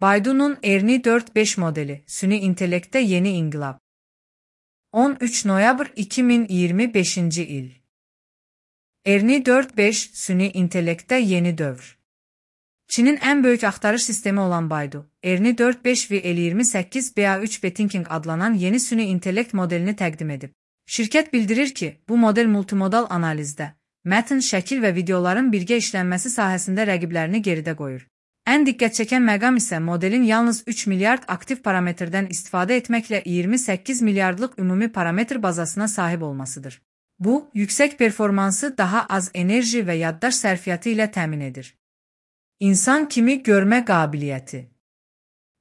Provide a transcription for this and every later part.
Baidu'nun Ernie 4.5 modeli, süni intellekte yeni inkılap. 13 noyabr 2025 il. Ernie 4.5 süni intellekte yeni dövr. Çinin en büyük aktarış sistemi olan Baidu, Ernie 4.5 ve L28 BA3 Bethinking adlanan yeni süni intellekt modelini təqdim edib. Şirket bildirir ki, bu model multimodal analizdə, mətn, şəkil və videoların birgə işlənməsi sahəsində rəqiblərini geridə qoyur. Ən diqqət çəkən məqam isə modelin yalnız 3 milyard aktiv parametrdən istifadə etməklə 28 milyardlıq ümumi parametr bazasına sahib olmasıdır. Bu, yüksək performansı daha az enerji və yaddaş sərfiyyatı ilə təmin edir. İnsan kimi görmə qabiliyyəti.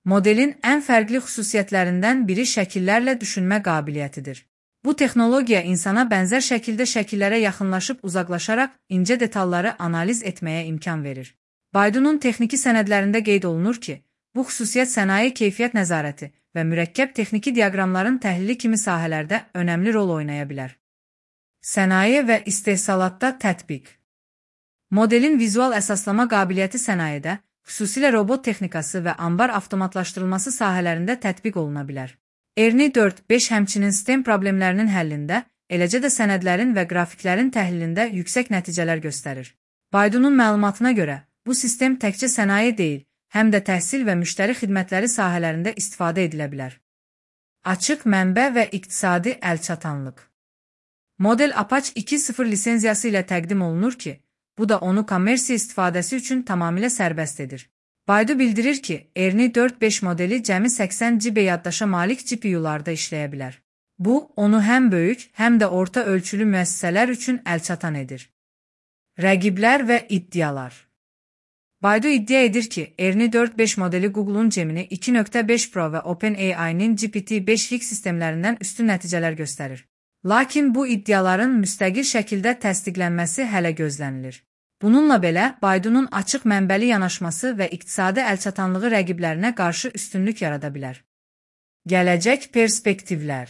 Modelin ən fərqli xüsusiyyətlərindən biri şəkillərlə düşünmə qabiliyyətidir. Bu texnologiya insana bənzər şəkildə şəkillərə yaxınlaşıb uzaqlaşaraq incə detalları analiz etməyə imkan verir. Baidu'nun texniki sənədlərində qeyd olunur ki, bu xüsusiyyət sənaye keyfiyyət nəzarəti və mürəkkəb texniki diaqramların təhlili kimi sahələrdə önəmli rol oynaya bilər. Sənaye və istehsalatda tətbiq. Modelin vizual əsaslama qabiliyyəti sənayedə, xüsusilə robot texnikası və ambar avtomatlaşdırılması sahələrində tətbiq oluna bilər. Ernie 4.5 həmçinin sistem problemlərinin həllində, eləcə də sənədlərin və qrafiklərin təhlilində yüksək nəticələr göstərir. Baidu'nun məlumatına görə, bu sistem təkcə sənaye deyil, həm də təhsil və müştəri xidmətləri sahələrində istifadə edilə bilər. Açıq mənbə və iqtisadi əlçatanlıq. Model Apache 2.0 lisenziyası ilə təqdim olunur ki, bu da onu kommersiya istifadəsi üçün tamamilə sərbəst edir. Baidu bildirir ki, Ernie 4.5 modeli cəmi 80 GB yaddaşa malik GPU-larda işləyə bilər. Bu, onu həm böyük, həm də orta ölçülü müəssisələr üçün əlçatan edir. Rəqiblər və iddialar. Baidu iddia edir ki, Ernie 4.5 modeli Google'un Gemini 2.5 Pro və OpenAI'nin GPT-5X sistemlərindən üstün nəticələr göstərir. Lakin bu iddiaların müstəqil şəkildə təsdiqlənməsi hələ gözlənilir. Bununla belə, Baidu'nun açıq mənbəli yanaşması və iqtisadi əlçatanlığı rəqiblərinə qarşı üstünlük yarada bilər. Gələcək perspektivlər.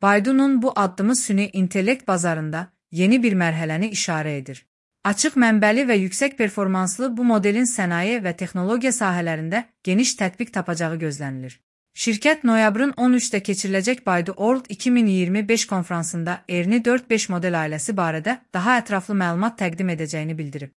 Baidu'nun bu addımı süni intellekt bazarında yeni bir mərhələni işarə edir. Açıq mənbəli və yüksək performanslı bu modelin sənaye və texnologiya sahələrində geniş tətbiq tapacağı gözlənilir. Şirkət noyabrın 13-də keçiriləcək Baidu World 2025 konfransında Ernie 4.5 model ailəsi barədə daha ətraflı məlumat təqdim edəcəyini bildirib.